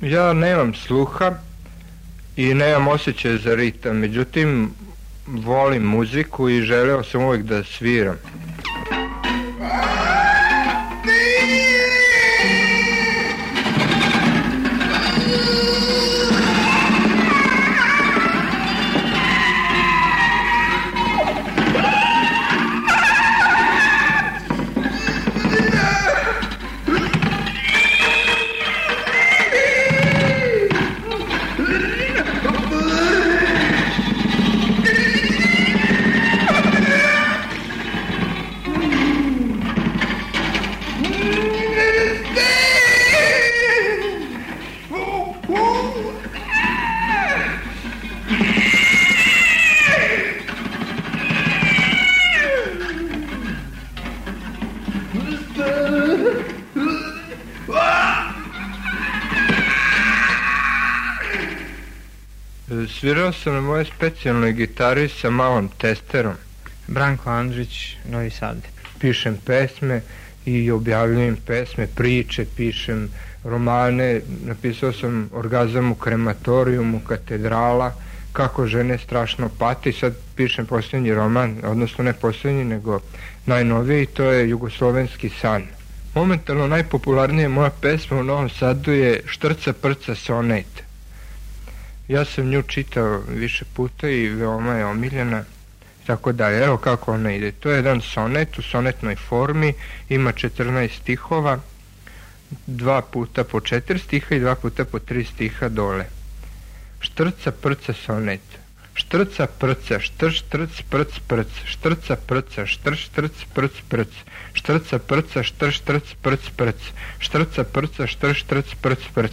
Ja nemam sluha i nemam osjećaj za ritam, međutim volim muziku i želeo sam uvijek da sviram. Svirao sam na moje specijalnoj gitari sa malom testerom. Branko Andrić, Novi Sad. Pišem pesme i objavljujem pesme, priče, pišem romane. Napisao sam Orgazam u krematorijumu, Katedrala, Kako žene strašno pate, i sad pišem posljednji roman, odnosno ne posljednji, nego najnoviji, to je Jugoslovenski san. Momentalno najpopularnija moja pesma u Novom Sadu je Štrca prca sonet. Ja sam nju čitao više puta i veoma je omiljena, tako da, evo kako ona ide. To je jedan sonet u sonetnoj formi, ima 14 stihova, 2 puta po 4 stiha i 2 puta po 3 stiha dole. Štrca prca sonet. Štrca prca, štrc štrc prc prc, štrca prca, štrc štrc prc prc, štrca prca, štrc štrc prc prc, štrca prca, štrc štrc prc prc,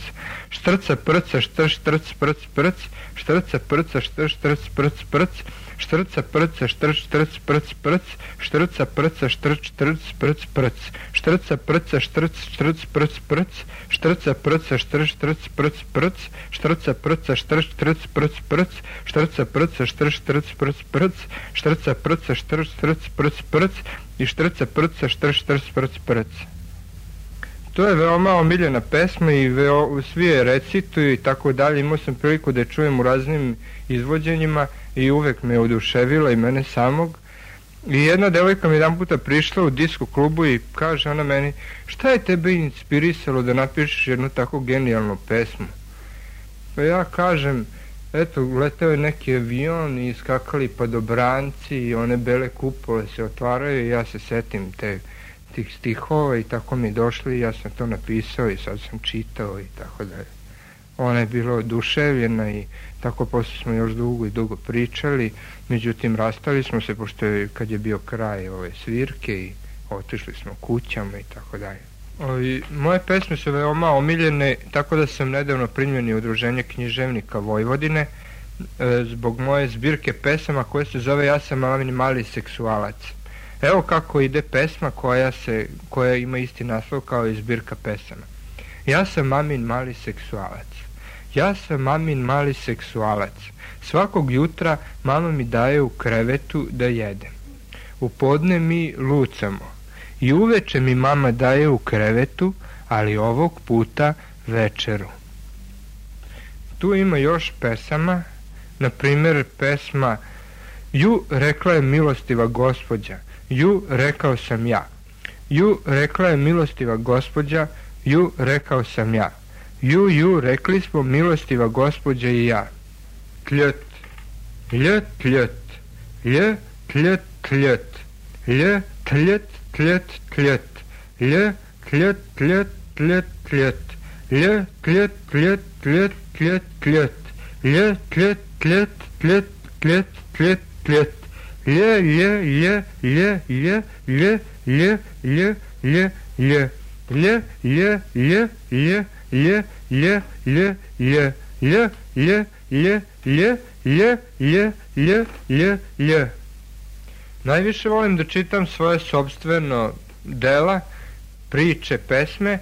štrca prca, štrc štrc prc prc, štrca prca, štrc štrc prc prc, štrca prca, štrc štrc prc prc, štrca prca, štrc štrc prc prc, štrca prca, štrc štrc prc prc, štrca prca, štrc štrc prc prc, štrca prca, štrc štrc prc prc, štrca prca, štrc štrc prc prc, štrca prca, štrc štrc prc prc i štrca prca, štrc štrc prc prc. To je veoma omiljena pesma i svi je recituju i tako dalje. Imao sam priliku da je čujem u raznim izvođenjima i uvek me oduševila i mene samog. I jedna devojka mi jedan puta prišla u disko klubu i kaže ona meni: šta je tebe inspirisalo da napišeš jednu tako genijalnu pesmu? Pa ja kažem: eto, leteo je neki avion i skakali padobranci i one bele kupole se otvaraju i ja se setim tih stihova i tako mi došli i ja sam to napisao i sad sam čitao i tako dalje. Ona je bila oduševljena i tako posle smo još dugo i dugo pričali, međutim rastali smo se pošto je, kad je bio kraj ove svirke, i otišli smo kućama i tako dalje. Moje pesme su veoma omiljene, tako da sam nedavno primljen u Udruženje književnika Vojvodine zbog moje zbirke pesama koje se zove Ja sam mali seksualac. Evo kako ide pesma koja ima isti naslov kao i zbirka pesama. Ja sam mamin mali seksualac. Ja sam mamin mali seksualac. Svakog jutra mama mi daje u krevetu da jedem. U podne mi lucamo. I uveče mi mama daje u krevetu, ali ovog puta večeru. Tu ima još pesama, na primjer pesma Ju, rekla je milostiva gospođa, ju, rekao sam ja. Ju, rekla je milostiva gospođa, ju, rekao sam ja. Ju, rekli smo milostiva gospođa i ja. Tljt, lj, tljt, lj, tljt, tljt, lj, tljt, tljt, tljt, lj, tljt, tljt, tljt, tljt, lj, tljt, tljt, tljt, tljt, tljt, lj, tljt, tljt, tljt, tljt, tljt, tljt, Najviše volim da čitam svoje sopstveno dela, priče, pesme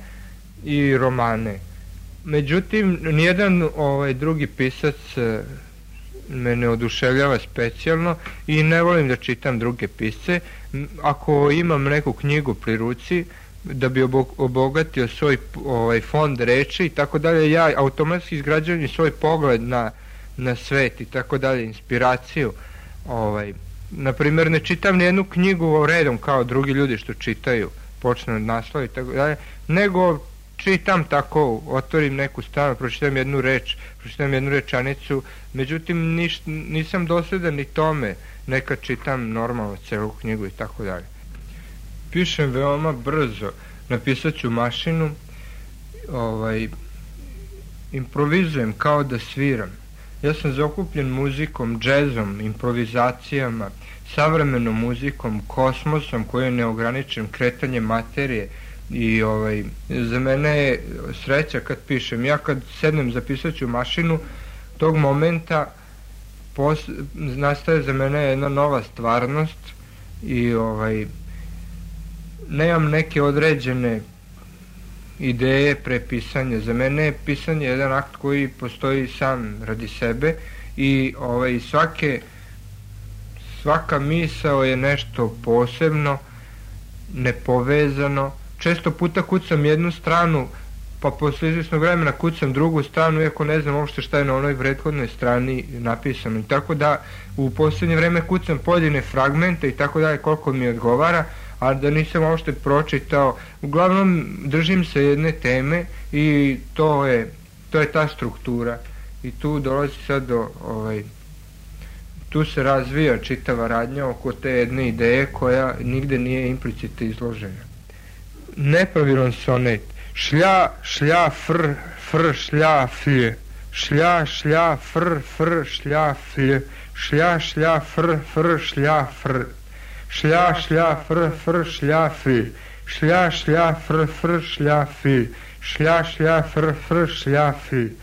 i romane. Međutim, nijedan drugi pisac me ne oduševljava specijalno i ne volim da čitam druge pisce. Ako imam neku knjigu pri ruci, da bi obogatio svoj fond reči i tako dalje, ja automatski izgrađujem svoj pogled na svet i tako dalje, inspiraciju. Naprimjer, ne čitam nijednu knjigu redom kao drugi ljudi što čitaju, počnu od naslova i tako dalje, nego čitam tako, otvorim neku stranu, pročitam jednu reč, pročitam jednu rečanicu, međutim nisam dosledan ni tome, nekad čitam normalno celu knjigu i tako dalje. Pišem veoma brzo, napisat ću mašinu, improvizujem kao da sviram. Ja sam zaokupljen muzikom, džezom, improvizacijama, savremenom muzikom, kosmosom koji je neograničen kretanjem materije i za mene je sreća kad pišem. Ja kad sednem zapisat ću mašinu, tog momenta nastaje za mene jedna nova stvarnost i nemam neke određene ideje pre pisanja. Za mene je pisanje jedan akt koji postoji sam radi sebe i svaka misao je nešto posebno, nepovezano. Često puta kucam jednu stranu, pa posle izvjesnog vremena kucam drugu stranu, iako ne znam uopšte šta je na onoj prethodnoj strani napisano. I tako da u posljednje vreme kucam pojedine fragmente i tako dalje koliko mi odgovara, a da nisam uopšte pročitao. Uglavnom držim se jedne teme i to je ta struktura. I tu dolazi sad tu se razvija čitava radnja oko te jedne ideje koja nigde nije implicite izložena. Nepravilan sonet. Šlja, šlja, fr, fr, šlja, flj. Šlja, šlja, fr, fr, šlja, flj. Šlja, šlja, fr, fr, šlja, fr. Šlja, šlja, fr, fr, šlja, flj. Šlja, šlja, fr, fr, šlja, flj. Šlja, šlja, fr, fr, šlja, flj.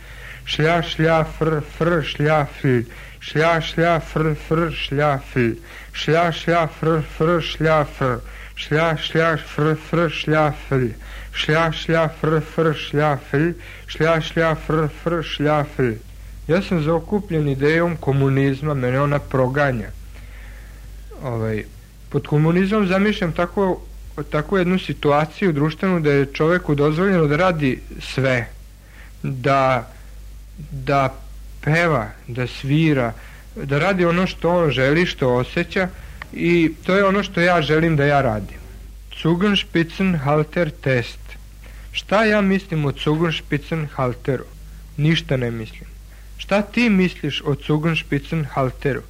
Šlja, šlja, fr, fr, šlja, flj. Šlja, šlja, fr, fr, šlja, flj. Šlja, šlja, fr, fr, šlja, fr. Šlja, šlja, fr, fr, šlja, flj. Šlja, šlja, fr, fr, šlja, flj. Šlja, šlja, fr, fr, šlja, flj. Ja sam zaokupljen idejom komunizma, mene ona proganja. Pod komunizmom zamišljam takvu jednu situaciju društvenu da je čoveku dozvoljeno da radi sve, da peva, da svira, da radi ono što on želi, što osjeća i to je ono što ja želim da ja radim. Zungenspitzenhalter test. Šta ja mislim o Zungenspitzenhalteru? Ništa ne mislim. Šta ti misliš o Zungenspitzenhalteru?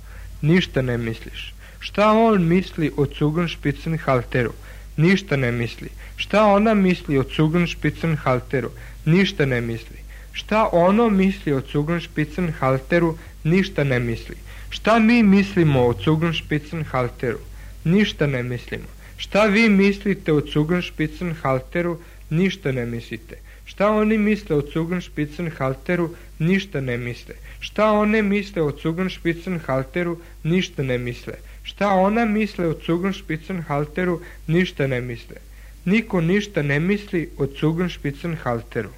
Ništa ne misliš. Šta on misli o Zungenspitzenhalteru? Ništa ne misli. Šta ona misli o Zungenspitzenhalteru? Ništa ne misli. Šta ono misli o Zungenspitzenhalteru? Ništa ne misli. Šta mi mislimo o Zungenspitzenhalteru? Ništa ne mislimo. Šta vi mislite o Zungenspitzenhalteru? Ništa ne mislite. Šta oni misle o Zungenspitzenhalteru? Ništa ne misle. Šta one misle o Zungenspitzenhalteru? Ništa ne misle. Šta ona misle o Zungenspitzenhalteru? Ništa ne misle. Niko ništa ne misli o Zungenspitzenhalteru.